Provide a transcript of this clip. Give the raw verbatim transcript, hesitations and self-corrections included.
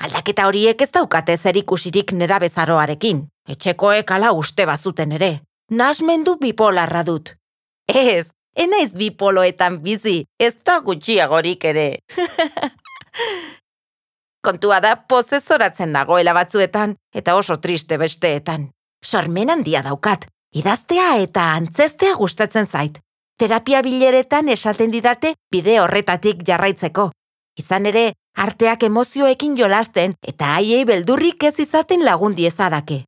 Aldaketa horiek ez daukate zerikusirik nerabezaroarekin. Etxekoek ala uste bazuten ere. Nahasmendu bipolarra dut. Ez, enaiz bipoloetan bizi, ez da gutxiagorik ere. Kontua da pozesoratzen nagoela batzuetan, eta oso triste besteetan. Sormen handia daukat, idaztea eta antzestea gustatzen zait. Terapia bileretan esaten didate bide horretatik jarraitzeko. Izan ere, arteak emozioekin jolasten eta haiei beldurrik ez izaten lagun diezadake.